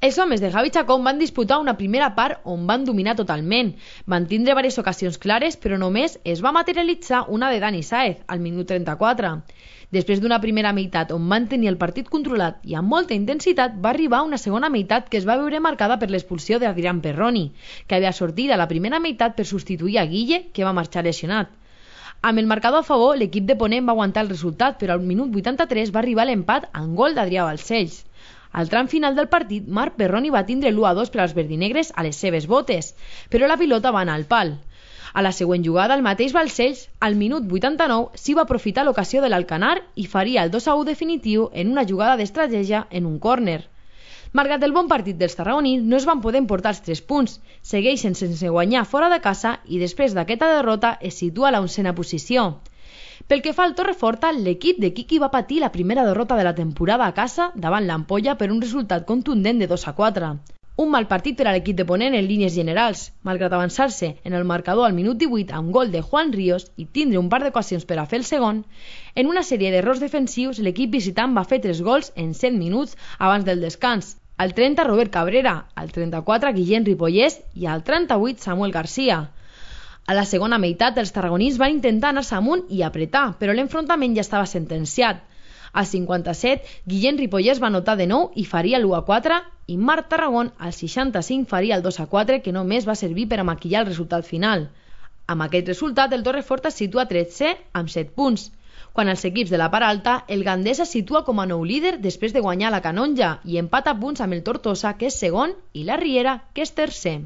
Els homes de Javi Chacón van disputar una primera part on van dominar totalment. Van tindre diverses ocasions clares, però només es va materialitzar una de Dani Sáez, al minut 34. Després d'una primera meitat on van tenir el partit controlat i amb molta intensitat, va arribar una segona meitat que es va veure marcada per l'expulsió d'Adrián Perroni, que havia sortit a la primera meitat per substituir a Guille, que va marxar lesionat. Amb el marcador a favor, l'equip de Ponent va aguantar el resultat, però al minut 83 va arribar l'empat amb gol d'Adrià Balcells. Al tram final del partit, Marc Perroni va tindre l'1-2 per als verdinegres a les seves botes, però la pilota va anar al pal. A la següent jugada, el mateix Balcells, al minut 89, s'hi va aprofitar l'ocasió de l'Alcanar i faria el 2-1 definitiu en una jugada d'estratègia en un córner. Malgrat el bon partit dels tarragonins, no es van poder emportar els 3 punts, segueixen sense guanyar fora de casa i després d'aquesta derrota es situa a la 11a posició. Pel que fa al Torreforta, l'equip de Quiqui va patir la primera derrota de la temporada a casa davant l'Ampolla per un resultat contundent de 2-4. Un mal partit per a l'equip de Ponent en línies generals, malgrat avançar-se en el marcador al minut 18 amb gol de Juan Ríos i tindre un par d'ocasions per a fer el segon, en una sèrie d'errors defensius l'equip visitant va fer 3 gols en 7 minuts abans del descans. Al 30 Robert Cabrera, al 34 Guillem Ripollès i al 38 Samuel García. A la segona meitat els tarragonins van intentar anar-se amunt i apretar, però l'enfrontament ja estava sentenciat. Al 57, Guillem Ripollès va anotar de nou i faria l'1-4 i Marc Tarragón al 65 faria el 2-4 que només va servir per a maquillar el resultat final. Amb aquest resultat el Torreforta es situa 13è amb 7 punts. Quan els equips de la part alta, el Gandesa es situa com a nou líder després de guanyar la Canonja i empata punts amb el Tortosa, que és segon, i la Riera, que és tercer.